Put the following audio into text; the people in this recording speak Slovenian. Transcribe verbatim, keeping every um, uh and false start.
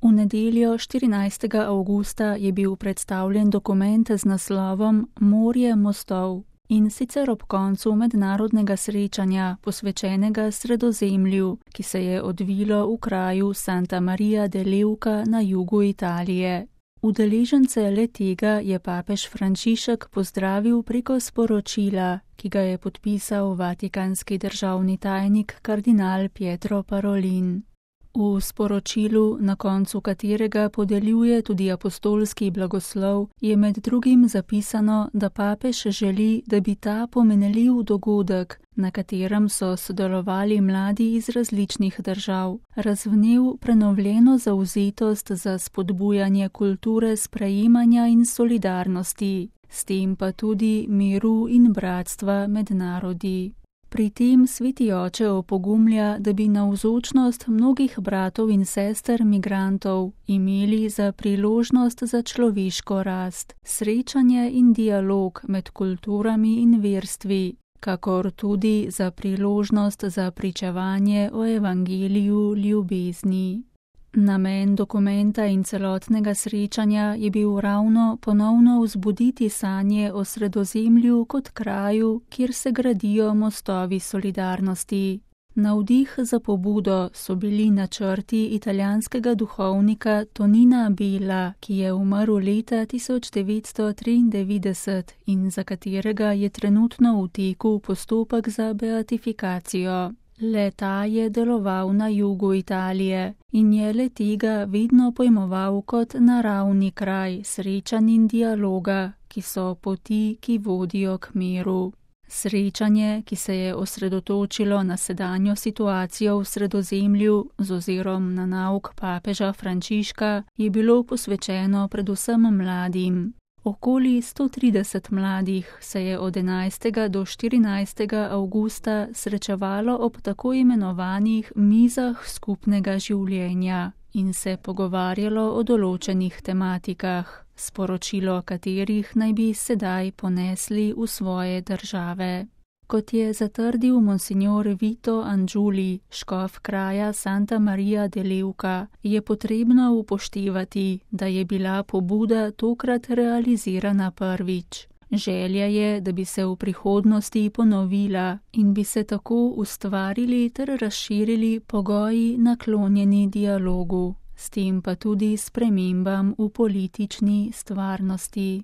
V nedeljo štirinajstega avgusta je bil predstavljen dokument z naslovom Morje mostov, in sicer ob koncu mednarodnega srečanja, posvečenega Sredozemlju, ki se je odvilo v kraju Santa Maria de Leuca na jugu Italije. Udeležence le-tega je papež Frančišek pozdravil preko sporočila, ki ga je podpisal vatikanski državni tajnik kardinal Pietro Parolin. V sporočilu, na koncu katerega podeljuje tudi apostolski blagoslov, je med drugim zapisano, da papež želi, da bi ta pomenljiv dogodek, na katerem so sodelovali mladi iz različnih držav, razvnel prenovljeno zavzetost za spodbujanje kulture sprejemanja in solidarnosti, s tem pa tudi miru in bratstva med narodi. Pri tem sveti oče opogumlja, da bi navzočnost mnogih bratov in sester migrantov imeli za priložnost za človeško rast, srečanje in dialog med kulturami in verstvi, kakor tudi za priložnost za pričevanje o evangeliju ljubezni. Namen dokumenta in celotnega srečanja je bil ravno ponovno vzbuditi sanje o Sredozemlju kot kraju, kjer se gradijo mostovi solidarnosti. Navdih za pobudo so bili načrti italijanskega duhovnika Tonina Bella, ki je umrl leta tisoč devetsto triindevetdeset in za katerega je trenutno v teku postopek za beatifikacijo. Le-ta je deloval na jugu Italije in je le-tega vedno pojmoval kot naravni kraj srečanj in dialoga, ki so poti, ki vodijo k miru. Srečanje, ki se je osredotočilo na sedanjo situacijo v Sredozemlju z ozirom na nauk papeža Frančiška, je bilo posvečeno predvsem mladim. Okoli sto trideset mladih se je od enajstega do štirinajstega avgusta srečevalo ob tako imenovanih mizah skupnega življenja in se pogovarjalo o določenih tematikah, sporočilo katerih naj bi sedaj ponesli v svoje države. Kot je zatrdil monsignor Vito Angiuli, škof kraja Santa Maria de Leuca, je potrebno upoštevati, da je bila pobuda tokrat realizirana prvič. Želja je, da bi se v prihodnosti ponovila in bi se tako ustvarili ter razširili pogoji naklonjeni dialogu, s tem pa tudi spremembam v politični stvarnosti.